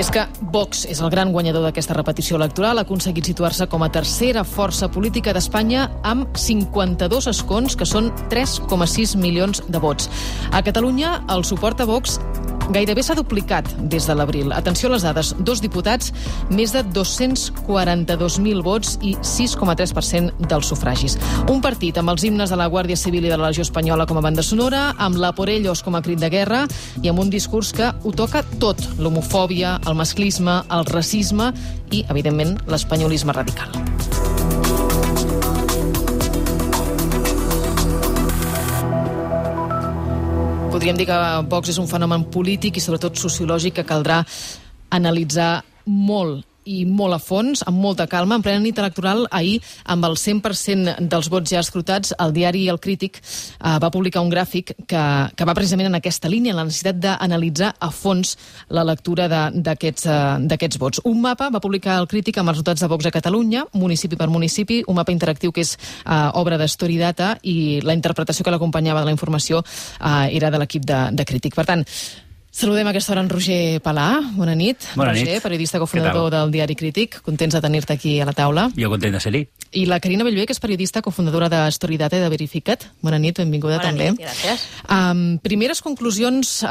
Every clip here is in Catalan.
I és que Vox és el gran guanyador d'aquesta repetició electoral, ha aconseguit situar-se com a tercera força política d'Espanya amb 52 escons, que són 3,6 milions de vots. A Catalunya, el suport a Vox gairebé s'ha duplicat des de l'abril. Atenció a les dades, 2 diputats, més de 242.000 vots i 6,3% dels sufragis. Un partit amb els himnes de la Guàrdia Civil i de la Legió Espanyola com a banda sonora, amb la Por Ellos com a crit de guerra i amb un discurs que ho toca tot, l'homofòbia, el masclisme, el racisme i, evidentment, l'espanyolisme radical. Podríem dir que Vox és un fenomen polític i sobretot sociològic que caldrà analitzar molt i molt a fons, amb molta calma. En plena nit electoral, ahir, amb el 100% dels vots ja escrutats, el diari El Crític va publicar un gràfic que va precisament en aquesta línia, en la necessitat d'analitzar a fons la lectura d'aquests vots. Un mapa va publicar El Crític amb els resultats de Vox a Catalunya, municipi per municipi, un mapa interactiu que és obra de Story-Data, i la interpretació que l'acompanyava de la informació era de l'equip de Crític. Per tant, saludem a aquesta hora en Roger Palà. Bona nit. Bona Roger, nit. periodista cofundador del diari Crític. Contents de tenir-te aquí a la taula. Jo content de ser-hi. I la Carina Bellver, que és periodista cofundadora de Story-Data i de Verifica't. Bona nit, benvinguda també. Bona nit, gràcies. Primeres conclusions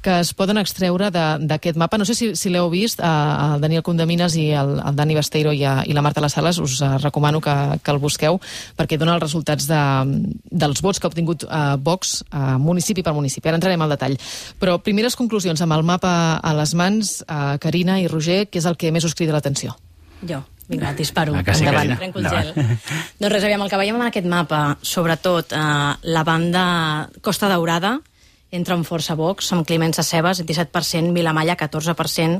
que es poden extreure d'aquest mapa. No sé si l'heu vist, el Daniel Condamines i el Dani Besteiro i la Marta Las Sales. Us recomano que el busqueu, perquè dona els resultats dels vots que ha obtingut Vox municipi per municipi. Ara entrarem al detall. Però primeres conclusions amb el mapa a les mans, Carina i Roger, què és el que més us crida l'atenció? Jo. Vinga, disparo. Sí, endavant. Trenco el gel. Doncs res, aviam, el que veiem en aquest mapa, sobretot la banda Costa Daurada, entra amb força Vox, amb Climent Sescebes, 17%, Vilamalla, 14%,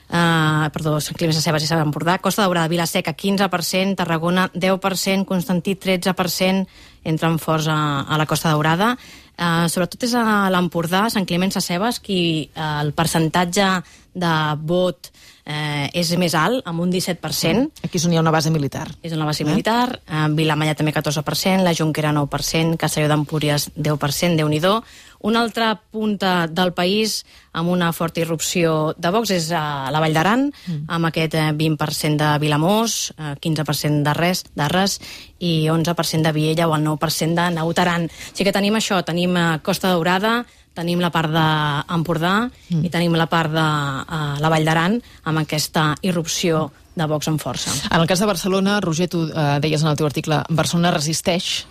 Climent Sescebes i Sant Empordà, Costa Daurada, Vilaseca, 15%, Tarragona, 10%, Constantí, 13%, entra amb força a la Costa Daurada. Sobretot és a l'Empordà, Sant Climent Sescebes, qui el percentatge de vot és més alt, amb un 17%. Aquí és on hi ha una base militar. És una base militar. Vilamalla també 14%, la Jonquera 9%, Castelló d'Empúries 10%, Déu-n'hi-do. Una altra punta del país amb una forta irrupció de Vox és a la Vall d'Aran, amb aquest 20% de Vilamós, 15% d'Arres i 11% de Viella o el 9% de Naut Aran. Així que tenim això, tenim Costa Daurada, tenim la part d'Empordà i tenim la part de la Vall d'Aran amb aquesta irrupció de Vox en força. En el cas de Barcelona, Roger, tu deies en el teu article, Barcelona resisteix.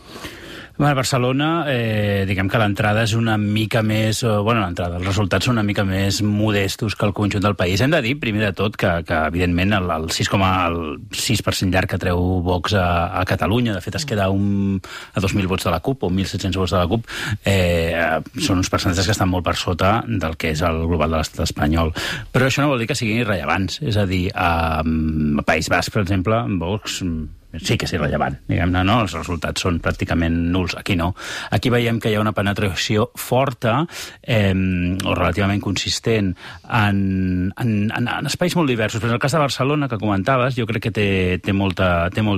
A Barcelona, diguem que l'entrada és una mica més... l'entrada, els resultats són una mica més modestos que el conjunt del país. Hem de dir, primer de tot, que evidentment, el 6,6% llarg que treu Vox a Catalunya, de fet es queda a 2.000 vots de la CUP, o 1.700 vots de la CUP, són uns percentatges que estan molt per sota del que és el global de l'estat espanyol. Però això no vol dir que siguin irrellevants. És a dir, a País Basc, per exemple, Vox sí que és irrellevant, diguem-ne, no? Els resultats són pràcticament nuls. Aquí no. Aquí veiem que hi ha una penetració forta o relativament consistent en espais molt diversos. Però en el cas de Barcelona, que comentaves, jo crec que té molt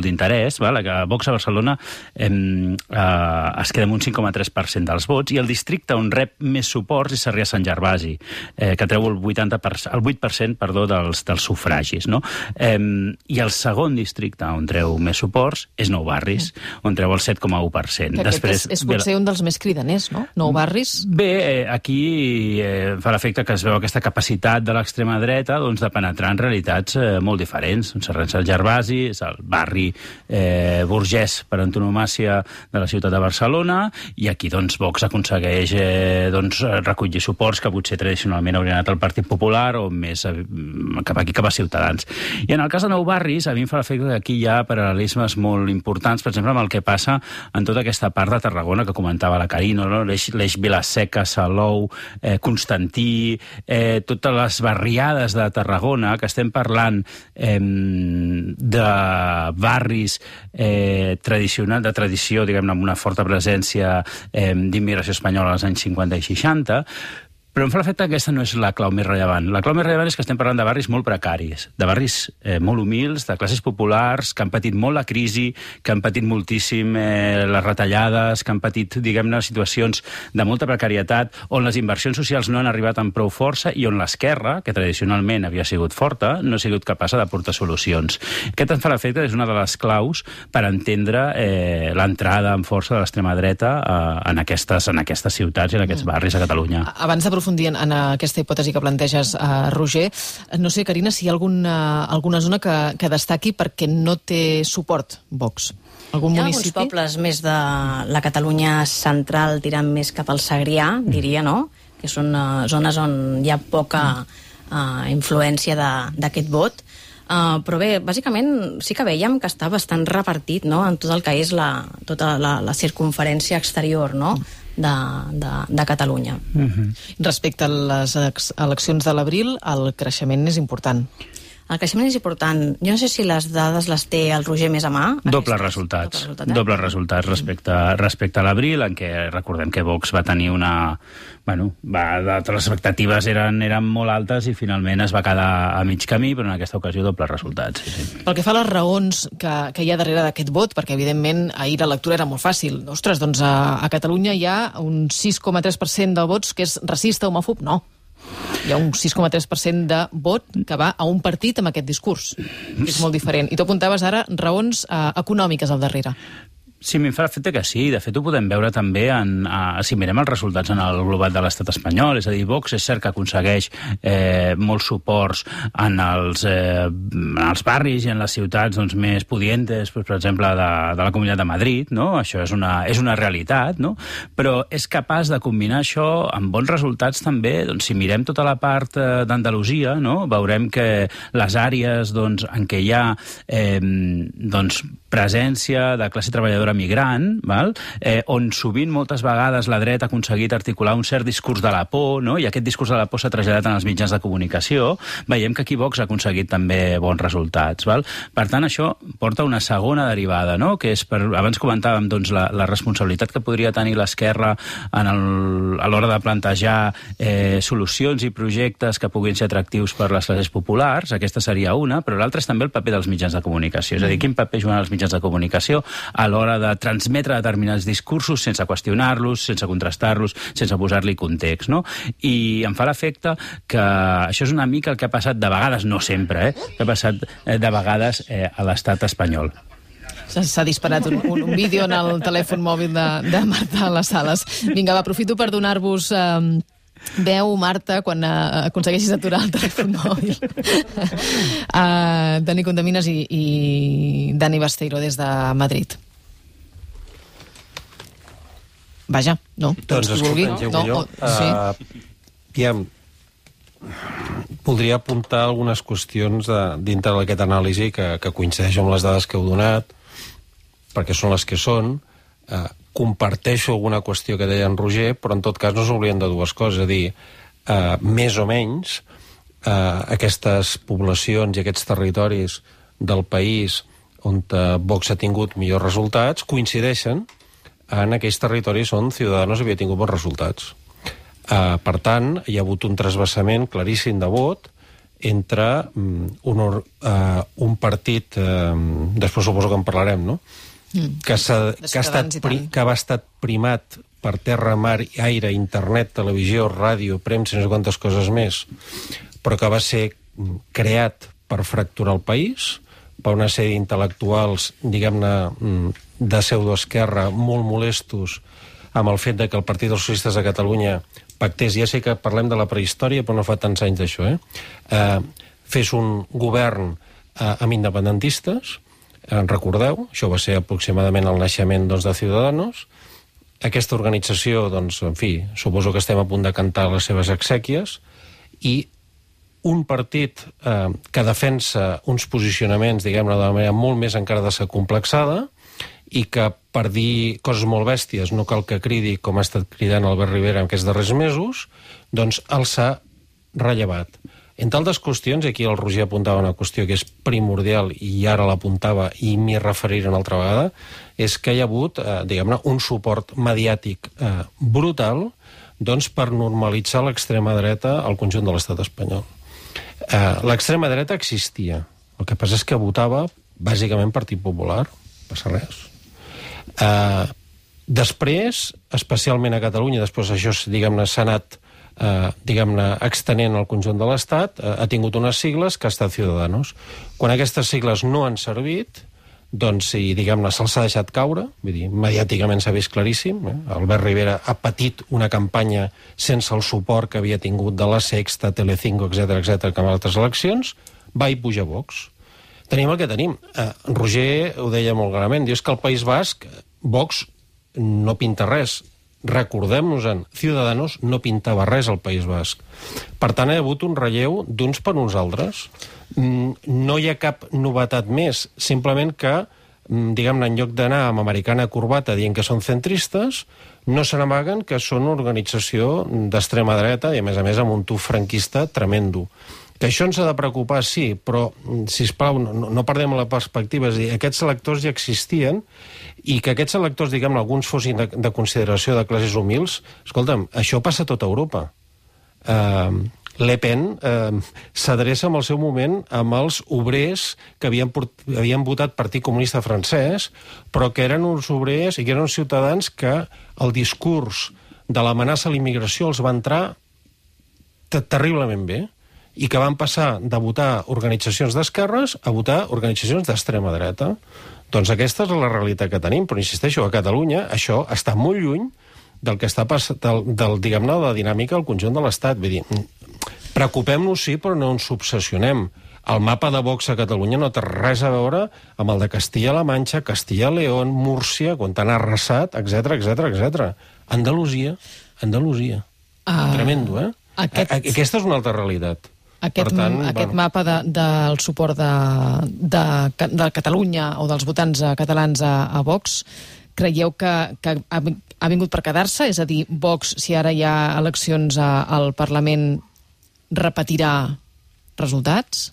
d'interès. Vox a Barcelona es queda amb un 5,3% dels vots i el districte on rep més suports és Sarrià-Sant Gervasi, que treu el 8% dels sufragis. No? I el segon districte on treu més suports és Nou Barris, on treu el 7,1%. Després és potser un dels més cridaners, no? Nou Barris? Bé, aquí fa l'efecte que es veu aquesta capacitat de l'extrema dreta de penetrar en realitats molt diferents. Sant Gervasi és el barri burgès per antonomàcia de la ciutat de Barcelona i aquí Vox aconsegueix recollir suports que potser tradicionalment haurien anat al Partit Popular o més cap a Ciutadans. I en el cas de Nou Barris, a mi em fa l'efecte que aquí hi ha paral·lelismes molt importants, per exemple, amb el que passa en tota aquesta part de Tarragona que comentava la Carina, no? L'eix Vilaseca, Salou, Constantí, totes les barriades de Tarragona, que estem parlant de barris de tradició, diguem-ne, amb una forta presència d'immigració espanyola als anys 50 i 60, Però em fa l'efecte que aquesta no és la clau més rellevant. La clau més rellevant és que estem parlant de barris molt precaris, de barris molt humils, de classes populars, que han patit molt la crisi, que han patit moltíssim les retallades, que han patit, diguem-ne, situacions de molta precarietat, on les inversions socials no han arribat amb prou força i on l'esquerra, que tradicionalment havia sigut forta, no ha sigut capaç d'aportar solucions. Aquest em fa l'efecte és una de les claus per entendre l'entrada en força de l'extrema dreta en aquestes ciutats i en aquests barris a Catalunya. Abans d'aprofundir en aquesta hipòtesi que planteges, Roger, no sé, Carina, si hi ha alguna zona que destaqui perquè no té suport Vox. Algun municipi? Hi ha alguns pobles més de la Catalunya central tirant més cap al Segrià, diria, no? Que són zones on hi ha poca influència d'aquest vot. Però bé, bàsicament sí que veiem que està bastant repartit, no?, en tot el que és tota la circunferència exterior, no?, de Catalunya. Respecte a les eleccions de l'abril, el creixement és important. El creixement és important. Jo no sé si les dades les té el Roger més a mà. Dobles resultats respecte a l'abril, en què recordem que Vox va tenir les expectatives eren molt altes i finalment es va quedar a mig camí, però en aquesta ocasió dobles resultats. Sí. Pel que fa a les raons que hi ha darrere d'aquest vot, perquè evidentment ahir la lectura era molt fàcil. Ostres, doncs a Catalunya hi ha un 6,3% de vots que és racista, homòfob? No. Hi ha un 6,3% de vot que va a un partit amb aquest discurs. És molt diferent. I tu apuntaves ara raons econòmiques al darrere. Sí, m'hi fa l'efecte que sí. De fet, ho podem veure també si mirem els resultats en el global de l'estat espanyol. És a dir, Vox és cert que aconsegueix molts suports en els barris i en les ciutats més pudientes, per exemple, de la Comunitat de Madrid, no? Això és una realitat, no? Però és capaç de combinar això amb bons resultats també. Doncs, si mirem tota la part d'Andalusia, no? Veurem que les àrees en què hi ha presència de classe treballadora migrant, on sovint moltes vegades la dreta ha aconseguit articular un cert discurs de la por, no? I aquest discurs de la por s'ha traslladat en els mitjans de comunicació, veiem que aquí Vox ha aconseguit també bons resultats. Per tant, això porta una segona derivada, no? Que és, abans comentàvem la responsabilitat que podria tenir l'esquerra a l'hora de plantejar solucions i projectes que puguin ser atractius per les classes populars. Aquesta seria una, però l'altra és també el paper dels mitjans de comunicació. És a dir, quin paper juguen els mitjans de comunicació a l'hora de transmetre determinats discursos sense qüestionar-los, sense contrastar-los, sense posar-li context, no? I em fa l'efecte que això és una mica el que ha passat de vegades, no sempre, que ha passat de vegades a l'estat espanyol. S'ha disparat un vídeo en el telèfon mòbil de Marta a les Sales. Vinga, aprofito per donar-vos veu, Marta, quan aconsegueixis aturar el telèfon mòbil. Dani Condeminas i Dani Basteiro des de Madrid. Vaja, no? Doncs escolta, voldria apuntar algunes qüestions dintre d'aquest anàlisi que coincideix amb les dades que heu donat, perquè són les que són. Comparteixo alguna qüestió que deia en Roger, però en tot cas no s'obliden de dues coses, és a dir, més o menys aquestes poblacions i aquests territoris del país on Vox ha tingut millors resultats coincideixen en aquells territoris on Ciudadanos havia tingut bons resultats. Per tant, hi ha hagut un trasbassament claríssim de vot entre un partit, després suposo que en parlarem, no?, que va estar primat per terra, mar, aire, internet, televisió, ràdio, premsa, no sé quantes coses més, però que va ser creat per fracturar el país, per una sèrie d'intel·lectuals, diguem-ne, de pseudoesquerra, molt molestos amb el fet que el Partit dels Socialistes de Catalunya pactés, ja sé que parlem de la prehistòria, però no fa tants anys d'això, fes un govern amb independentistes. Recordeu, això va ser aproximadament el naixement de Ciudadanos. Aquesta organització, en fi, suposo que estem a punt de cantar les seves exèquies, i un partit que defensa uns posicionaments, diguem-ne, de manera molt més encara desacomplexada, i que, per dir coses molt bèsties, no cal que cridi com ha estat cridant Albert Rivera en aquests darrers mesos, doncs el s'ha rellevat. Entre altres qüestions, i aquí el Roger apuntava una qüestió que és primordial, i ara l'apuntava i m'hi referiré una altra vegada, és que hi ha hagut, diguem-ne, un suport mediàtic brutal doncs, per normalitzar l'extrema dreta al conjunt de l'estat espanyol. L'extrema dreta existia. El que passa és que votava bàsicament Partit Popular, passa res. Després, especialment a Catalunya, després això, diguem-ne, s'ha anat extenent al conjunt de l'Estat, ha tingut unes sigles que ha estat Ciudadanos. Quan aquestes sigles no han servit, doncs, diguem-ne, se'ls ha deixat caure, vull dir, mediàticament s'ha vist claríssim. Albert Rivera ha patit una campanya sense el suport que havia tingut de la Sexta, Telecinco, etc que en altres eleccions, va i puja Vox. Tenim el que tenim. Roger ho deia molt clarament, diu que al País Basc Vox no pinta res. Recordem-nos-en, Ciudadanos no pintava res al País Basc. Per tant, hi ha hagut un relleu d'uns per uns altres. No hi ha cap novetat més, simplement que, diguem-ne, en lloc d'anar amb americana corbata dient que són centristes, no se n'amaguen que són una organització d'extrema dreta i, a més, amb un tuf franquista tremendo. Que això ens ha de preocupar, sí, però, sisplau, no perdem la perspectiva. És a dir, aquests electors ja existien i que aquests electors, diguem-ne, alguns fossin de consideració de classes humils, escolta'm, això passa a tota Europa. Le Pen s'adreça en el seu moment amb els obrers que havien votat Partit Comunista francès, però que eren uns obrers i que eren uns ciutadans que el discurs de l'amenaça a la immigració els va entrar terriblement bé i que van passar de votar organitzacions d'esquerres a votar organitzacions d'extrema dreta. Doncs aquesta és la realitat que tenim, però insisteixo, a Catalunya això està molt lluny del que està passant, diguem-ne, de la dinàmica al conjunt de l'Estat. Vull dir, preocupem-nos, sí, però no ens obsessionem. El mapa de Vox a Catalunya no té res a veure amb el de Castilla-La Manxa, Castilla-León, Múrcia, quan han arrasat, etc. Andalusia. Tremendo, eh? Aquesta és una altra realitat. Aquest mapa del suport de Catalunya o dels votants catalans a Vox, creieu que ha vingut per quedar-se? És a dir, Vox, si ara hi ha eleccions al Parlament, repetirà resultats?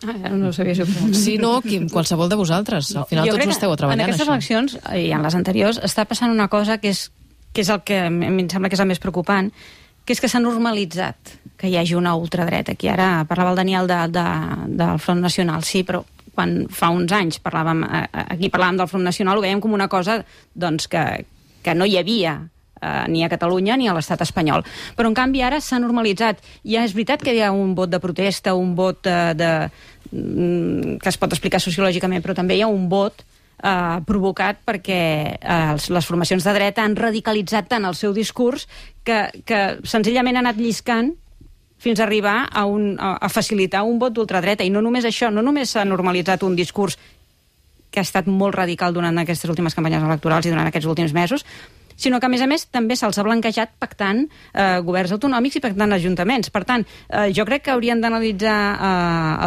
No ho sabia si Sí, no, qualsevol de vosaltres. Al final tots ho esteu treballant, en aquestes això. eleccions, i en les anteriors, està passant una cosa que és el que a mi em sembla que és el més preocupant, que és que s'ha normalitzat que hi hagi una ultradreta. Aquí ara parlava el Daniel del Front Nacional, sí, però quan fa uns anys parlàvem del Front Nacional, ho veiem com una cosa doncs, que no hi havia ni a Catalunya ni a l'estat espanyol. Però, en canvi, ara s'ha normalitzat. Ja és veritat que hi ha un vot de protesta, un vot que es pot explicar sociològicament, però també hi ha un vot provocat perquè les formacions de dreta han radicalitzat tant el seu discurs que senzillament ha anat lliscant fins a arribar a facilitar un vot d'ultradreta. I no només això, no només s'ha normalitzat un discurs que ha estat molt radical durant aquestes últimes campanyes electorals i durant aquests últims mesos, sinó que, a més, també se'ls ha blanquejat pactant governs autonòmics i pactant ajuntaments. Per tant, jo crec que haurien d'analitzar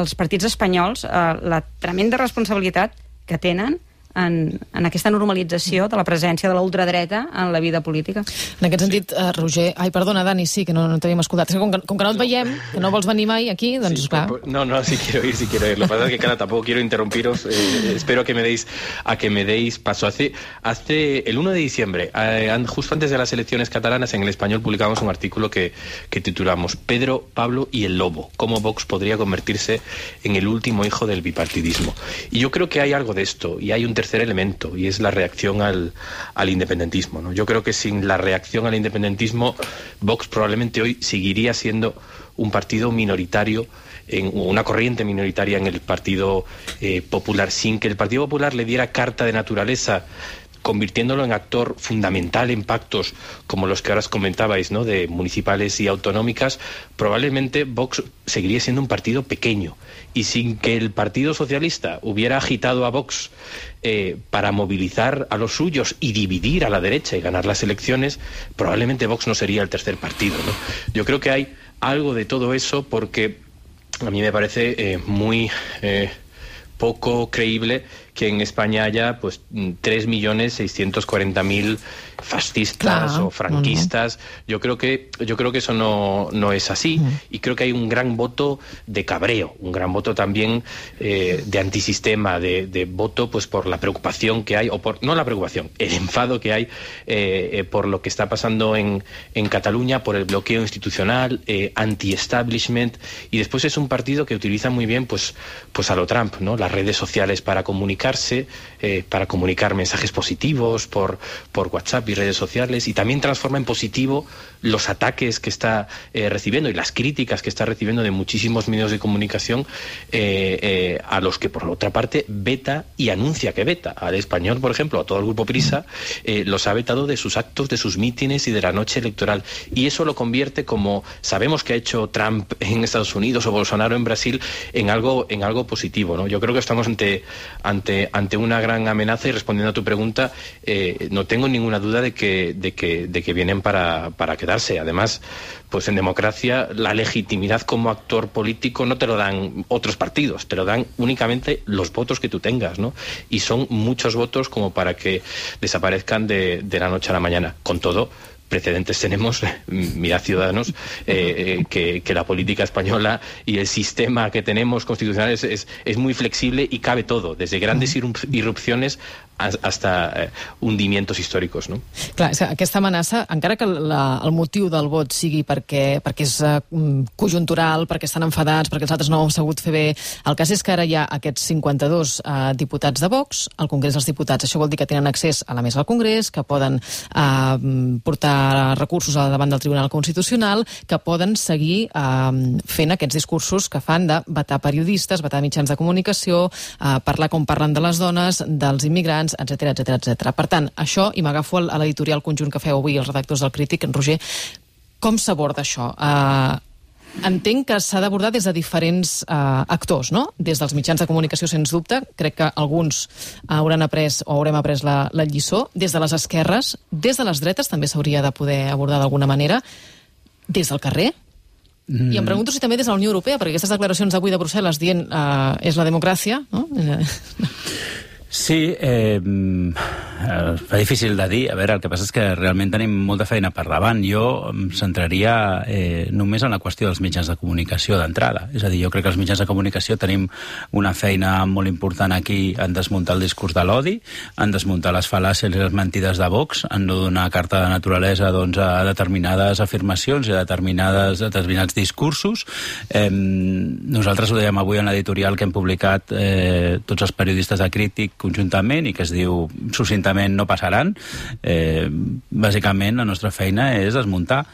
els partits espanyols la tremenda responsabilitat que tenen en aquesta normalització de la presència de la ultradreta en la vida política. En aquest sentit, Roger... Ai, perdona, Dani, sí, que no t'havíem escoltat. És que com que no et veiem, que no vols venir mai aquí, doncs, sí, clar... No, sí quiero ir. Lo que pasa es que, claro, tampoco quiero interrumpiros. Espero a que me deis paso. Hace el 1 de diciembre, justo antes de las elecciones catalanas, en El Español publicamos un artículo que titulamos Pedro, Pablo y el Lobo. Cómo Vox podría convertirse en el último hijo del bipartidismo. Y yo creo que hay algo de esto, y hay un tercer elemento, y es la reacción al independentismo, ¿no? Yo creo que sin la reacción al independentismo, Vox probablemente hoy seguiría siendo un partido minoritario, una corriente minoritaria en el Partido Popular, sin que el Partido Popular le diera carta de naturaleza, convirtiéndolo en actor fundamental en pactos como los que ahora os comentabais, ¿no?, de municipales y autonómicas. Probablemente Vox seguiría siendo un partido pequeño, y sin que el Partido Socialista hubiera agitado a Vox para movilizar a los suyos y dividir a la derecha y ganar las elecciones, probablemente Vox no sería el tercer partido, ¿no? Yo creo que hay algo de todo eso, porque a mí me parece muy poco creíble que en España haya pues 3.640.000 fascistas o franquistas. Yo creo que eso no es así, y creo que hay un gran voto de cabreo, un gran voto también de antisistema, de voto pues por la preocupación que hay, no la preocupación, el enfado que hay por lo que está pasando en Cataluña, por el bloqueo institucional, anti-establishment, y después es un partido que utiliza muy bien pues a lo Trump, ¿no? Las redes sociales para comunicarse, para comunicar mensajes positivos por WhatsApp y redes sociales, y también transforma en positivo los ataques que está recibiendo y las críticas que está recibiendo de muchísimos medios de comunicación, a los que por otra parte veta y anuncia que veta. Al Español, por ejemplo, a todo el grupo Prisa, los ha vetado de sus actos, de sus mítines y de la noche electoral, y eso lo convierte, como sabemos que ha hecho Trump en Estados Unidos o Bolsonaro en Brasil, en algo positivo, ¿no? Yo creo que estamos ante una gran amenaza, y respondiendo a tu pregunta, no tengo ninguna duda de que vienen para quedarse. Además, pues en democracia la legitimidad como actor político no te lo dan otros partidos, te lo dan únicamente los votos que tú tengas, ¿no? Y son muchos votos como para que desaparezcan de la noche a la mañana. Con todo, precedentes tenemos, mirad Ciudadanos, que la política española y el sistema que tenemos constitucional es muy flexible y cabe todo, desde grandes irrupciones hasta hundimientos històrics, no? Clar, aquesta amenaça, encara que el motiu del vot sigui perquè és conjuntural, perquè estan enfadats, perquè els altres no ho han sabut fer bé, el cas és que ara hi ha aquests 52 diputats de Vox al Congrés dels Diputats. Això vol dir que tenen accés a la mesa del Congrés, que poden portar recursos davant del Tribunal Constitucional, que poden seguir fent aquests discursos que fan de vetar periodistes, vetar mitjans de comunicació, parlar com parlen de les dones, dels immigrants, etc. Per tant, això, i m'agafo a l'editorial conjunt que feu avui els redactors del Crític, en Roger, com s'aborda això? Entenc que s'ha d'abordar des de diferents actors, no? Des dels mitjans de comunicació, sens dubte. Crec que alguns haurem après la lliçó. Des de les esquerres, des de les dretes també s'hauria de poder abordar d'alguna manera. Des del carrer. I em pregunto si també des de la Unió Europea, perquè aquestes declaracions d'avui de Brussel·les dient és la democràcia, no? Sí, fa difícil de dir. A veure, el que passa és que realment tenim molta feina per davant. Jo em centraria només en la qüestió dels mitjans de comunicació d'entrada. És a dir, jo crec que els mitjans de comunicació tenim una feina molt important aquí en desmuntar el discurs de l'odi, en desmuntar les fal·làcies i les mentides de Vox, en no donar carta de naturalesa a determinades afirmacions i a determinats discursos. Nosaltres ho dèiem avui en l'editorial que hem publicat tots els periodistes de Crític conjuntament i que es diu succintament No passaran. Bàsicament la nostra feina és desmuntar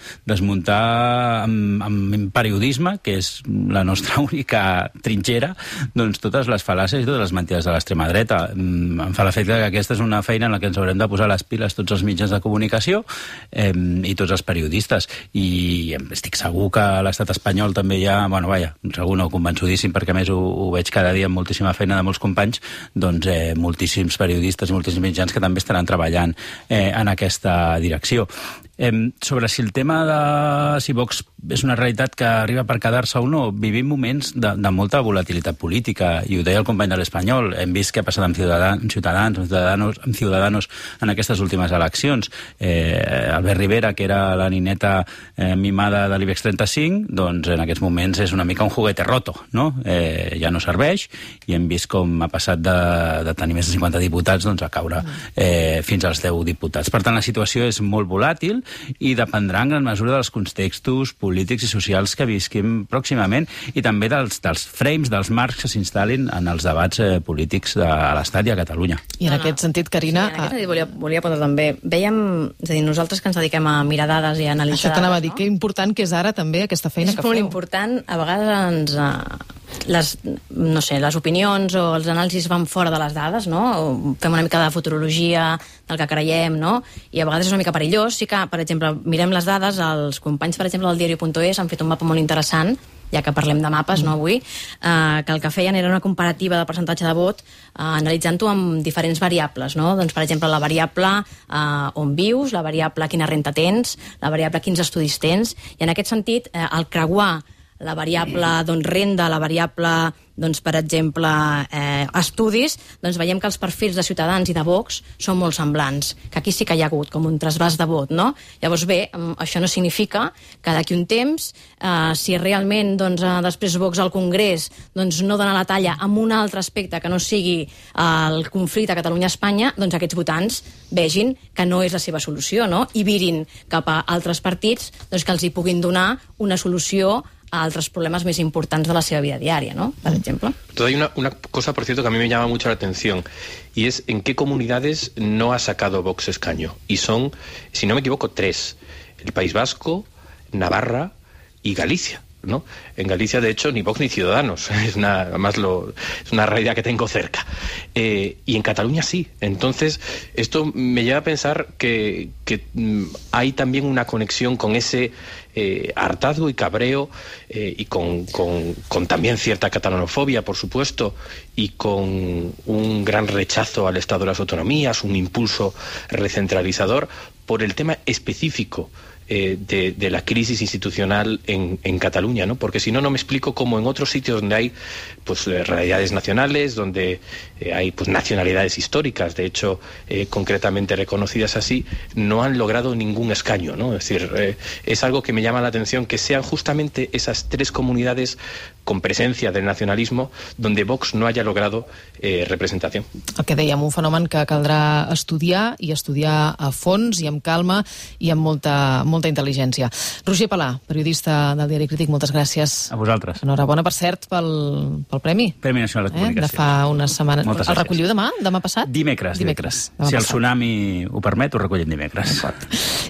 amb periodisme, que és la nostra única trinxera, doncs totes les fal·làcies i totes les mentides de l'extrema dreta. Em fa l'efecte que aquesta és una feina en la que ens haurem de posar les piles tots els mitjans de comunicació i tots els periodistes. I estic segur que a l'estat espanyol també hi ha, segur no, convençudíssim, perquè a més ho veig cada dia amb moltíssima feina de molts companys, doncs moltíssims periodistes i moltíssims mitjans que també estaran treballant en aquesta direcció. Sobre si el tema de si Vox és una realitat que arriba per quedar-se o no, vivim moments de molta volatilitat política, i ho deia el company de l'Espanyol. Hem vist què ha passat amb Ciudadanos en aquestes últimes eleccions. Albert Rivera, que era la nineta mimada de l'IBEX 35, doncs en aquests moments és una mica un juguete roto, no? Ja no serveix, i hem vist com ha passat de tenir més de 50 diputats a caure fins als 10 diputats. Per tant, la situació és molt volàtil i dependrà en gran mesura dels contextos polítics i socials que visquim pròximament, i també dels frames, dels marcs que s'instal·lin en els debats polítics de l'Estat i a Catalunya. I en aquest sentit, Carina... Sí, en aquest sentit volia apuntar també. Veiem, és a dir, nosaltres que ens dediquem a mirar dades i a analitzar... Això t'anava a dir, que important que és ara també aquesta feina que feu. És molt important. A vegades les opinions o els anàlisis van fora de les dades, no? Fem una mica de futurologia del que creiem, no? I a vegades és una mica perillós. Sí que, per exemple, mirem les dades, els companys, per exemple, del diario.es han fet un mapa molt interessant, ja que parlem de mapes, no, avui, que el que feien era una comparativa de percentatge de vot analitzant-ho amb diferents variables, no? Doncs, per exemple, la variable on vius, la variable quina renta tens, la variable quins estudis tens, i en aquest sentit, el creuar la variable renda, la variable, per exemple, estudis, veiem que els perfils de Ciutadans i de Vox són molt semblants, que aquí sí que hi ha hagut com un trasbàs de vot, no? Llavors, bé, això no significa que d'aquí un temps, si realment després Vox al Congrés no dona la talla amb un altre aspecte que no sigui el conflicte Catalunya-Espanya, aquests votants vegin que no és la seva solució, no? I virin cap a altres partits que els hi puguin donar una solució a altres problemas más importantes de la seva vida diaria, ¿no? Por ejemplo. Hay una cosa, por cierto, que a mí me llama mucho la atención, y es en qué comunidades no ha sacado Vox escaño. Y son, si no me equivoco, 3. El País Vasco, Navarra y Galicia, ¿no? En Galicia, de hecho, ni Vox ni Ciudadanos. Es una realidad que tengo cerca. Y en Cataluña sí. Entonces, esto me lleva a pensar que hay también una conexión con ese hartazgo y cabreo y con también cierta catalanofobia, por supuesto, y con un gran rechazo al Estado de las autonomías, un impulso recentralizador por el tema específico de la crisis institucional en Cataluña, ¿no? Porque si no, no me explico cómo en otros sitios donde hay realidades nacionales, donde hay nacionalidades históricas, de hecho concretamente reconocidas así, no han logrado ningún escaño, ¿no? Es decir, es algo que me llama la atención que sean justamente esas 3 comunidades con presencia del nacionalismo donde Vox no haya logrado representació. El que dèiem, un fenomen que caldrà estudiar, i estudiar a fons i amb calma i amb molta intel·ligència. Roger Palà, periodista del Diari Crític, moltes gràcies. A vosaltres. Enhorabona, per cert, pel premi. Premi Nacional de Comunicació. De fa unes setmanes. Moltes el recolliu demà passat? Dimecres. Si el tsunami ho permet, ho recollim dimecres.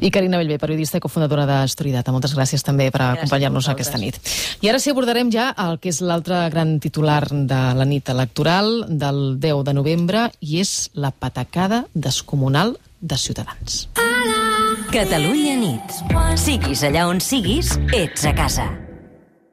I Carina Bellver, periodista i cofundadora d'Estoridata. Moltes gràcies també per acompanyar-nos aquesta nit. I ara sí abordarem ja el que és l'altre gran titular de la nit electoral del 10 de novembre, i és la patacada descomunal de Ciutadans. Catalunya nit. Siguis allà on siguis, ets a casa.